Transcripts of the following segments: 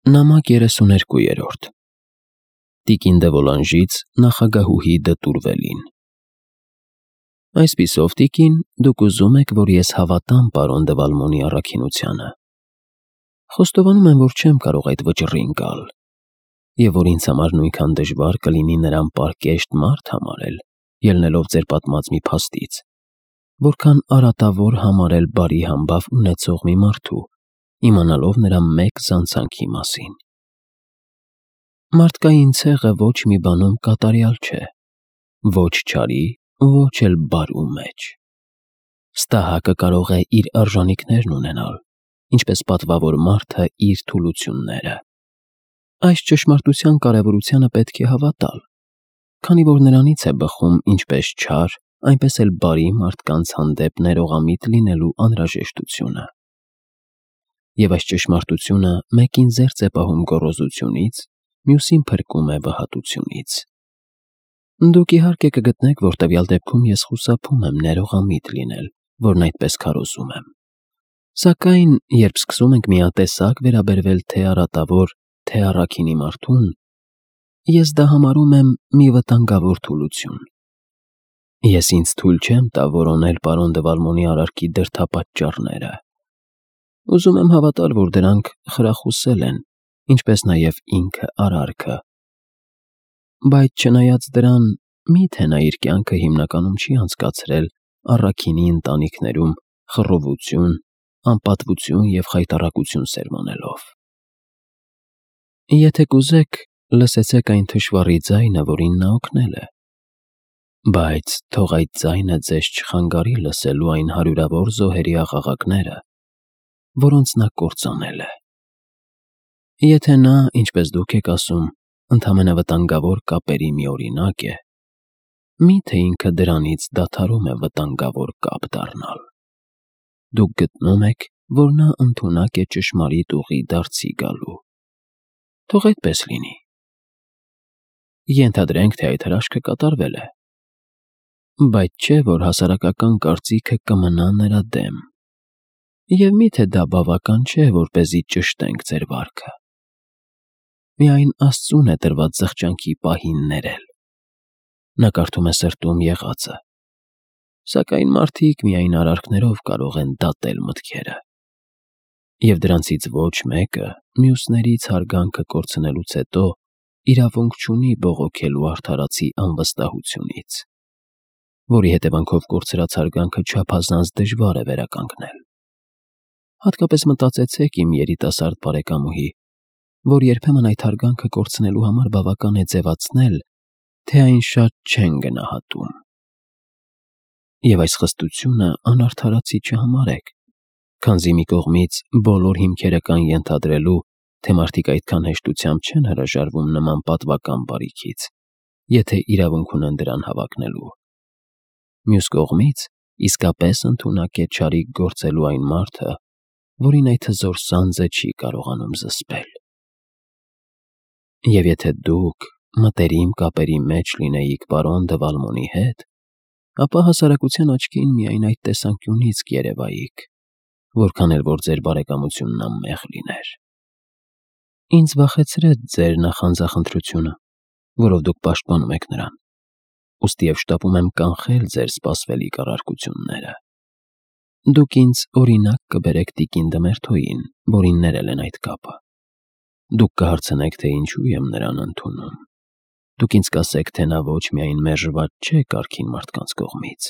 Նամակ 32 Տիկին դե Վոլանժից նախագահուհի Դտուրվելին։ Այսպիսով, տիկին, դուք ուզում եք, որ ես հավատամ պարոն դե Վալմոնի առաքինությանը։ Խոստովանում եմ, որ չեմ կարող այդ վճռին գալ, եւ որ ինձ համար նույնքան դժվար կլինի նրան պարկեշտ մարդ համարել, ելնելով ձեր պատմած մի փաստից, որքան արատավոր համարել բարի համբավ ունեցող մի մարդու, իմանալով նրա մեկ զանցանքի մասին։ Մարդկային ցեղը ոչ մի բանում կատարյալ չէ, ոչ չարի, ոչ էլ բարու մեջ։ Ստահակը կարող է իր արժանինքներն ունենալ, ինչպես պատվավոր մարդը իր թուլությունները։ Այս ճշմարտության կարևորությանը պետք է հավատալ, քանի որ նրանից է բխում ինչպես չար, այնպես էլ բարի մարդկանց հանդեպ ներողամիտ լինելու անհրաժեշտությունը։ Եվ այս ճշմարտությունը մեկին զերծ է պահում գոռոզությունից, մյուսին փրկում է վհատությունից։ Դուք իհարկե կգտնեք, որ տվյալ դեպքում ես խուսափում եմ ներողամիտ լինել, որն այդպես քարոզում եմ։ Սակայն, երբ սկսում ենք միատեսակ վերաբերվել թե արատավոր, թե առաքինի մարդուն, ես դա համարում եմ մի վտանգավոր թուլություն։ Ես ինձ թույլ չեմ տա որոնել պարոն դե Վալմոնի արարքի դրդապատճառները։ Ուզում եմ հավատալ, որ դրանք խրախուսել են, ինչպես նաև ինքը արարքը։ Բայց չնայած դրան, միթե նա իր կյանքը հիմնականում չի անցկացրել առաքինի ընտանիքներում խռովություն, անպատվություն և խայտառակություն սերմանելով։ Եթե կուզեք, լսեցեք այն թշվառի ձայնը, որին նա օգնել է։ Բայց թող այդ ձայնը ձեզ չխանգարի լսելու այն հարյուրավոր զոհերի աղաղակները, որոնց նա կործանել է։ Եթե նա, ինչպես դուք եք ասում, ընդամենը վտանգավոր կապերի մի օրինակ է, միթե ինքը դրանից դադարում է վտանգավոր կապ դառնալ։ Դուք գտնում եք, որ նա ընդունակ է ճշմարիտ ուղի դարձի գալու։ Թող այդպես լինի։ Ենթադրենք, թե այդ հրաշքը կատարվել է։ Բայց չէ, որ հասարակական կարծիքը կմնա նրա դեմ։ Եվ միթե դա բավական չէ, որպեսզի ճշտենք ձեր վարքը։ Միայն Աստծուն է տրված զղջանքի պահին ներել։ Նա կարդում է սրտում եղածը։ Սակայն մարդիկ միայն արարքներով կարող են դատել մտքերը։ Եվ դրանցից ոչ մեկը մյուսներից հարգանքը կորցնելուց հետո իրավունք չունի բողոքելու արդարացի անվստահությունից, որի հետևանքով կորցրած հարգանքը չափազանց դժվար է վերականգնել։ Հատկապես մտածեցեք իմ երիտասարդ բարեկամուհի, որ երբեմն այդ հարգանքը կորցնելու համար բավական է ձևացնել, թե այն շատ չեն գնահատում։ Եվ այս խստությունը անարդարացի չհամարեք, քանզի մի կողմից բոլոր հիմքերը կան ենթադրելու, թե մարդիկ այդքան հեշտությամբ չեն հրաժարվում նման պատվական բարիքից, եթե իրավունք ունեն դրան հավակնելու։ Մյուս կողմից իսկապես ընդունակ է չարիք գործելու այն մարդը, որին այդ հզոր սանձը չի կարողանում զսպել։ Եվ եթե դուք մտերիմ կապերի մեջ լինեիք պարոն դե Վալմոնի հետ, ապա հասարակության աչքին միայն այդ տեսանկյունից կերևայիք, որքան էլ որ ձեր բարեկամությունն անմեղ լիներ։ Ինձ վախեցրեց ձեր նախանձախնդրությունը, որով դուք պաշտպանում եք նրան, ուստի և շտապում եմ կանխել ձեր սպասվելիք առարկությունները։ Դուք ինձ օրինակ կբերեք տիկին Դմերթոյին, որին ներել են այդ կապը։ Դուք կհարցնեք, թե ինչու եմ նրան ընդունում։ Դուք ինձ կասեք, թե նա ոչ միայն մերժված չէ կարգին մարդկանց կողմից,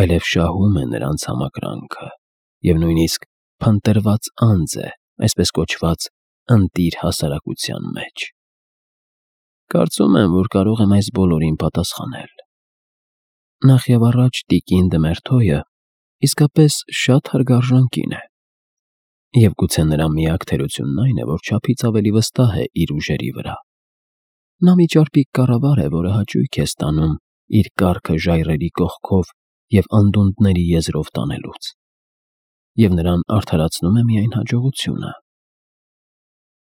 այլև շահում է նրանց համակրանքը և նույնիսկ փնտրված անձ է, այսպես կոչված, ընտիր հասարակության մեջ։ Կարծում եմ, որ կարող եմ այս բոլորին պատասխանել։ Նախ և առաջ տիկին Դմերթոյը իսկապես շատ հարգարժան կին է, և գուցե նրա միակ թերությունն այն է, որ չափից ավելի վստահ է իր ուժերի վրա։ Նա մի ճարպիկ կառավար է, որը հաճույք է ստանում իր կառքը ժայռերի կողքով և անդունդների եզրով տանելուց, և նրան արդարացնում է միայն հաջողությունը։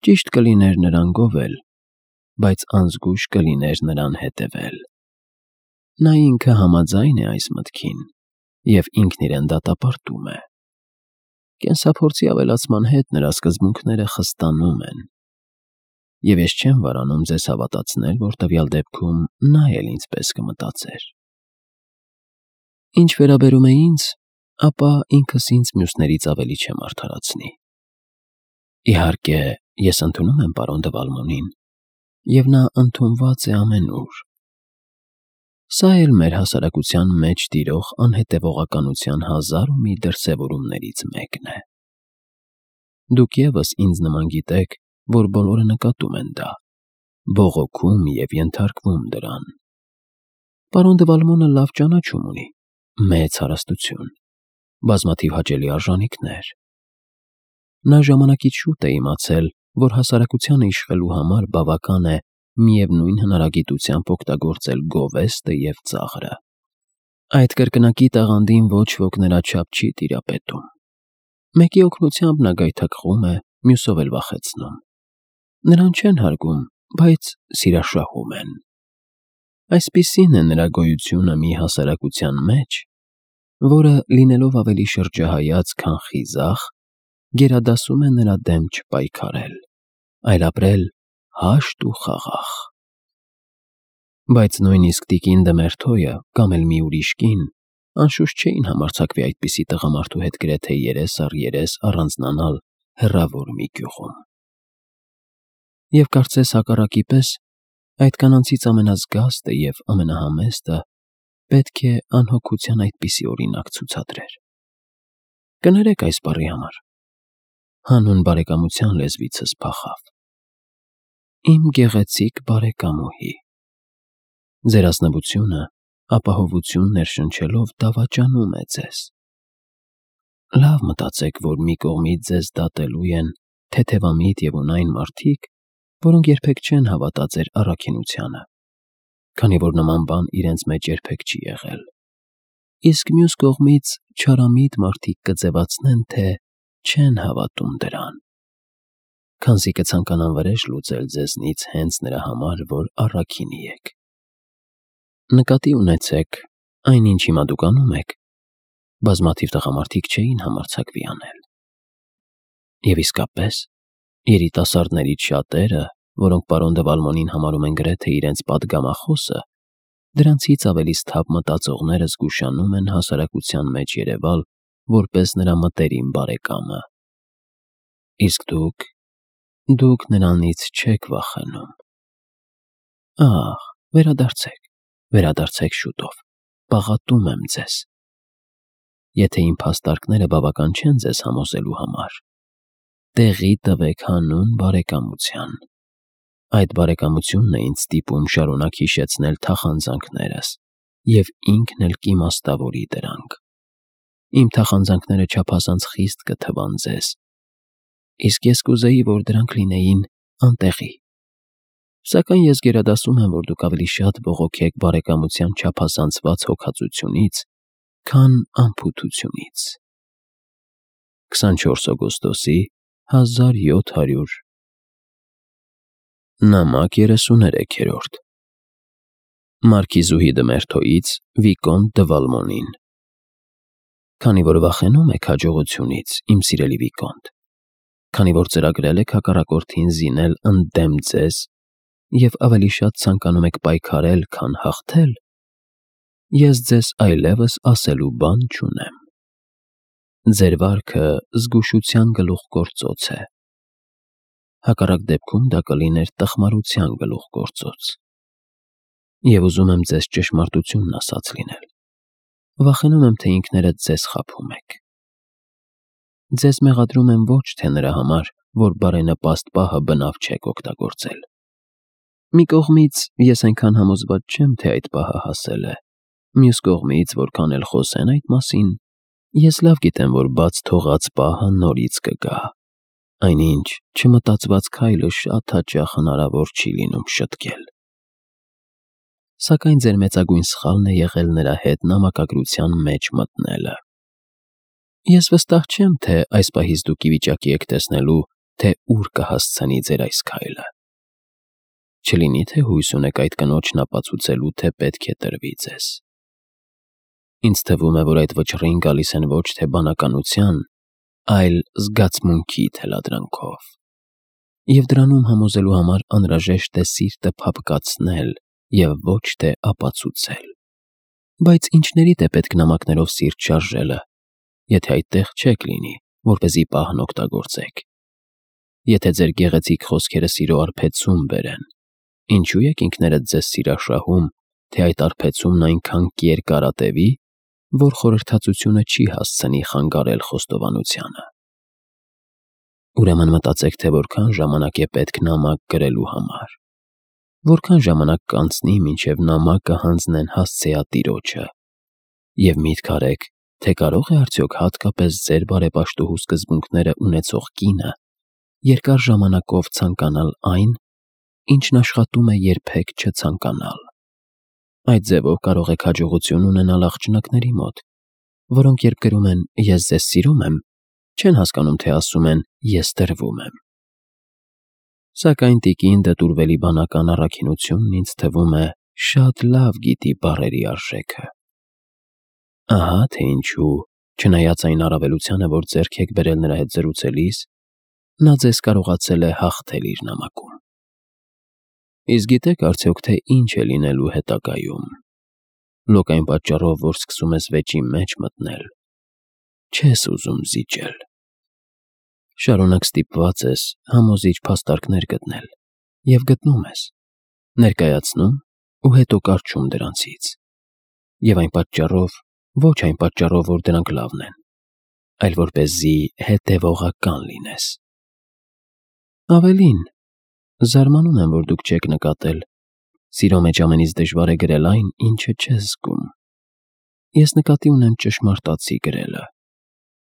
Ճիշտ կլիներ նրան գովել, բայց անզգույշ կլիներ նրան հետևել։ Նա ինքը համաձայն է այս մտքին և ինքն իրեն դատապարտում է։ Կենսափորձի ավելացման հետ նրա սկզբունքները խստանում են, եւ ես չեմ վարանում ձեզ հավատացնել, որ տվյալ դեպքում նա էլ ինձպես կմտածեր։ Ինչ վերաբերում է ինձ, ապա ինքս ինձ մյուսներից ավելի չեմ արդարացնի։ Իհարկե, ես ընդունում եմ պարոն դե Վալմոնին, եւ նա ընդունված է ամենուր։ Սա էլ մեր հասարակության մեջ տիրող անհետևողականության հազար ու մի դրսևորումներից մեկն է։ Դուք ևս ինձ նման գիտեք, որ բոլորը նկատում են դա, բողոքում եւ ենթարկվում դրան։ Պարոն դե Վալմոնը լավ ճանաչում ունի, մեծ հարստություն, բազմաթիվ հաճելի արժանիքներ։ Նա ժամանակից շուտ է իմացել, որ հասարակությանը իշխելու համար բավական է միևնույն հնարագիտությամբ օգտագործել գովեստը եւ ծաղրը։ Այդ կրկնակի տաղանդին ոչ ոք նրա չափ չի տիրապետում։ Մեկի օգնությամբ նա գայթակղում է, մյուսով էլ վախեցնում։ Նրան չեն հարգում, բայց սիրաշահում են։ Այսպիսին է նրա գոյությունը մի հասարակության մեջ, որը լինելով ավելի շրջահայաց, քան խիզախ, գերադասում է նրա դեմ չպայքարել, այլ ապրել հաշտ ու խաղաղ։ Բայց նույնիսկ տիկին Դմերթոյը կամ էլ մի ուրիշ կին անշուշտ չէին համարձակվի այդպիսի տղամարդու հետ գրեթե երես առ երես առանձնանալ հեռավոր մի գյուղում։ Եվ կարծես հակառակի պես, այդ կանանցից ամենազգաստը եւ ամենահամեստը պետք է անհոգության այդպիսի օրինակ ցուցադրեր։ Կներեք այս բառի համար։ Հանուն բարեկամության լեզվիցս փախավ։ Իմ գեղեցիկ բարեկամուհի։ Ձեր ազնվությունը ապահովություն ներշնչելով դավաճանում է ձեզ։ Լավ մտածեք, որ մի կողմից ձեզ դատելու են թեթևամիտ եւ ունայն մարդիկ, որոնք երբեք չեն հավատա ձեր առաքինությանը, քանի որ նման բան իրենց մեջ երբեք չի եղել։ Իսկ մյուս կողմից չարամիտ մարդիկ կձևացնեն, թե չեն հավատում դրան, քանզի կցանկանան վրեժ լուծել ձեզնից հենց նրա համար, որ առաքինի եք։ Նկատի ունեցեք, այնինչ հիմա դուք անում եք, բազմաթիվ տղամարդիկ չէին համարձակվի անել։ Եվ իսկապես, երիտասարդներից շատերը, որոնք պարոն դե Վալմոնին համարում են գրեթե իրենց պատգամախոսը, դրանցից ավելի սթափ մտածողները զգուշանում են հասարակության մեջ երևալ որպես նրա մտերիմ բարեկամը։ Իսկ դուք նրանից չեք վախենում։ Ահ, վերադարձեք շուտով, պաղատում եմ ձեզ։ Եթե իմ փաստարկները բավական չեն ձեզ համոզելու համար, տեղի տվեք հանուն բարեկամության։ Այդ բարեկամությունն է ինձ ստիպում շարունակ հիշեցնել թախանձանքներս եւ ինքն էլ կիմաստավորի դրանք։ Իմ թախանձանքները չափազանց խիստ կթվան ձեզ, իսկ ես կուզեի, որ դրանք լինեին անտեղի։ Սակայն ես գերադասում եմ, որ դուք ավելի շատ բողոքեք բարեկամության չափազանցված հոգածությունից, քան անփութությունից։ 24 օգոստոսի 1700 Նամակ 33-րդ Մարքիզուհի Դմերթոյից Վիկոնտ դե Վալմոնին։ Քանի որ վախենում եք հաջողությունից, իմ սիրելի Վիկոնտ, քանի որ ծրագրել եք հակառակորդին զինել ընդդեմ ձեզ եւ ավելի շատ ցանկանում եք պայքարել, քան հաղթել, ես ձեզ այլևս ասելու բան չունեմ։ Ձեր վարքը զգուշության գլուխգործոց է։ Հակառակ դեպքում դա կլիներ տխմարության գլուխգործոց։ Եվ ուզում եմ ձեզ ճշմարտությունն ասած լինել։ Վախենում եմ, թե ինքներդ ձեզ խաբում եք։ Ձեզ մեղադրում եմ ոչ թե նրա համար, որ բարենպաստ պահը բնավ չեք օգտագործել։ Մի կողմից ես այնքան համոզված չեմ, թե այդ պահը հասել է։ Մյուս կողմից, որքան էլ խոսեն այդ մասին, ես լավ գիտեմ, որ բաց թողած պահը նորից կգա։ Այնինչ չմտածված քայլը շատ հաճախ հնարավոր չի լինում շտկել։ Սակայն ձեր մեծագույն սխալն է եղել նրա հետ նամակագրության մեջ մտնելը։ Ես վստահ չեմ, թե այս պահից դուք ի վիճակի եք տեսնելու, թե ուր կհասցնի ձեր այս քայլը։ Չլինի, թե հույս ունեք այդ կնոջն ապացուցելու, թե պետք է տրվի ձեզ։ Ինձ թվում է, որ այդ վճռին գալիս են ոչ թե բանականության, այլ զգացմունքի թելադրանքով։ և դրանում համոզելու համար անհրաժեշտ է սիրտը փափկացնել և ոչ թե ապացուցել։ Բայց ինչներիդ է պետք նամակներով սիրտ շարժելը, եթե այդտեղ չեք լինի, որպեսզի պահն օգտագործեք։ Եթե ձեր գեղեցիկ խոսքերը սիրո արբեցում բերեն, ինչու եք ինքներդ ձեզ սիրաշահում, թե այդ արբեցումն այնքան կերկարատևի, որ խորհրդածությունը չի հասցնի խանգարել խոստովանությանը։ Ուրեմն մտածեք, թե որքան ժամանակ է պետք նամակ գրելու համար, որքան ժամանակ կանցնի, մինչև նամակը հանձնեն հասցեատիրոջը, և միտք արեք, թե կարող է արդյոք հատկապես ձեր բարեպաշտուհու սկզբունքները ունեցող կինը երկար ժամանակով ցանկանալ այն, ինչն աշխատում է երբեք չցանկանալ։ Այդ ձևով կարող եք հաջողություն ունենալ աղջնակների մոտ, որոնք երբ գրում են «Ես ձեզ սիրում եմ», չեն հասկանում, թե ասում են «Ես տրվում եմ»։ Սակայն տիկին դտուրվելի բանական առաքինությունն ինձ թվում է շատ լավ գիտի բառերի արժեքը։ Ահա թե ինչու, չնայած այն առավելությանը, որ ձեռք եք բերել նրա հետ զրուցելիս, նա ձեզ կարողացել է հաղթել իր նամակում։ Իսկ գիտեք արդյոք, թե ինչ է լինելու հետագայում։ Լոկ այն պատճառով, որ սկսում ես վեճի մեջ մտնել, չես ուզում զիջել։ Շարունակ ստիպված ես համոզիչ փաստարկներ գտնել և գտնում ես, ներկայացնում ու հետո կառչում դրանցից։ Եվ այն պատճառով, ոչ այն պատճառով, որ դրանք լավն են, այլ որպեսզի հետևողական լինես։ Ավելին, զարմանում եմ, որ դուք չեք նկատել, սիրո մեջ ամենից դժվար է գրել այն, ինչը չես զգում։ Ես նկատի ունեմ ճշմարտացի գրելը։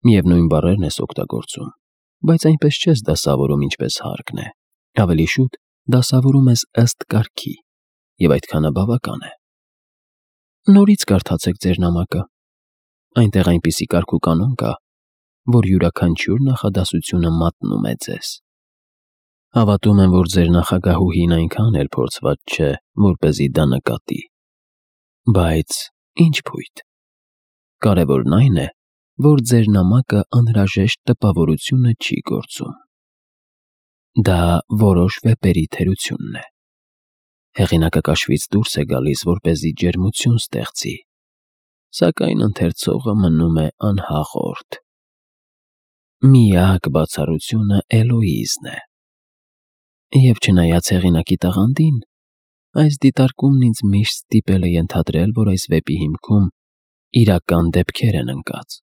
Միևնույն բառերն ես օգտագործում, բայց այնպես չես դասավորում, ինչպես հարկն է, ավելի շուտ դասավորում ես ըստ կարգի, և այդքանը բավական է։ Նորից կարդացեք ձեր նամակը։ Այնտեղ այնպիսի կարգ ու կանոն կա, որ յուրաքանչյուր նախադասությունը մատնում է ձեզ։ Հավատում եմ, որ ձեր նախագահուհին այնքան էլ փորձված չէ, որպեսզի դա նկատի։ Բայց ինչ փույթ։ Կարևորն այն է, որ ձեր նամակը անհրաժեշտ տպավորությունը չի գործում։ Դա որոշ վեպերի թերությունն է։ Հեղինակը կաշվից դուրս է գալիս, որպեսզի ջերմություն ստեղծի, սակայն ընթերցողը մնում է անհաղորդ։ Միակ բացառությունը Էլոիզն է։ Եվ չնայած հեղինակի տաղանդին, այս դիտարկումն ինձ միշտ ստիպել է ենթադրել, որ այս վեպի հիմքում իրական դեպքեր են ընկած։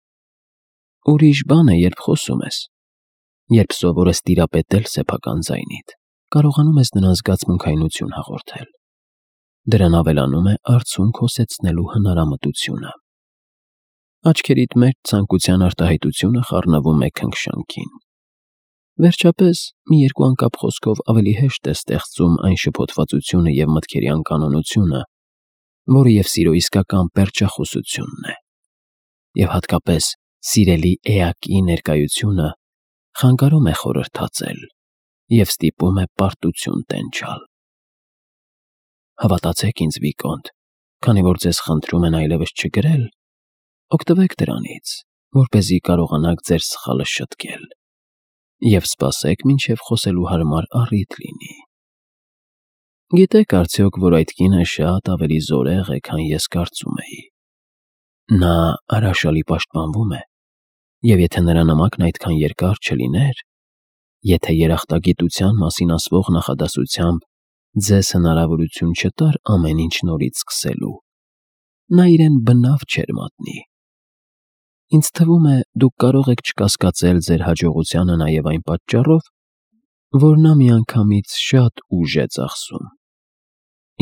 Ուրիշ բան է, երբ խոսում ես, երբ սովոր ես տիրապետել սեփական ձայնիդ, կարողանում ես նրան զգացմունքայնություն հաղորդել։ Դրան ավելանում է արցունք հոսեցնելու հնարամտությունը։ Աչքերիդ մեջ ցանկության արտահայտությունը խառնվում է քնքշանքին։ Վերջապես, մի երկու անկապ խոսքով ավելի հեշտ է ստեղծում այն շփոթվածությունը և մտքերի անկանոնությունը, որը և սիրո իսկական պերճախոսությունն է, և հատկապես սիրելի էակի ներկայությունը խանգարում է խորհրդածել և ստիպում է պարտություն տենչալ։ Հավատացեք ինձ, Վիկոնտ, քանի որ ձեզ խնդրում են այլևս չգրել, օգտվեք դրանից, որպեսզի կարողանաք ձեր սխալը շտկել, և սպասեք, մինչև խոսելու հարմար առիթ լինի։ Գիտեք արդյոք, որ այդ կինը շատ ավելի զորեղ է, քան ես կարծում էի։ Նա հրաշալի պաշտպանվում է, և եթե նրա նամակն այդքան երկար չլիներ, եթե երախտագիտության մասին ասվող նախադասությամբ ձեզ հնարավորություն չտար ամեն ինչ նորից սկսելու, նա իրեն բնավ չէր մատնի։ Ինձ թվում է, դուք կարող եք չկասկածել ձեր հաջողությանը նաև այն պատճառով, որ նա միանգամից շատ ուժ է ծախսում։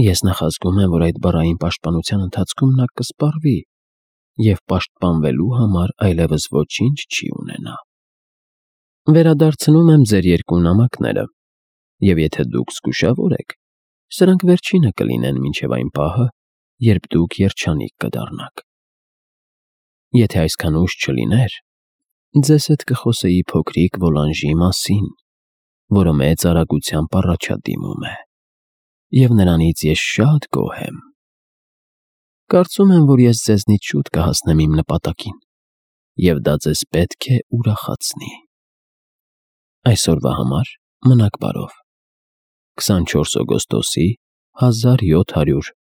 Ես նախազգում եմ, որ այդ բառային պաշտպանության ընթացքում նա կսպառվի և պաշտպանվելու համար այլևս ոչինչ չի ունենա։ Վերադարձնում եմ ձեր երկու նամակները, և եթե դուք զգուշավոր եք, սրանք վերջինը կլինեն մինչև այն պահը, երբ դուք երջանիկ կդառնաք։ Եթե այսքան ուշ չլիներ, ձեզ հետ կխոսեի փոքրիկ Վոլանժի մասին, որը մեծ արագությամբ առաջադիմում է, և նրանից ես շատ գոհ եմ։ Կարծում եմ, որ ես ձեզնից շուտ կհասնեմ իմ նպատակին, և դա ձեզ պետք է ուրախացնի։ Այսօրվա համար Մնաք բարով։ 24 օգոստոսի 1700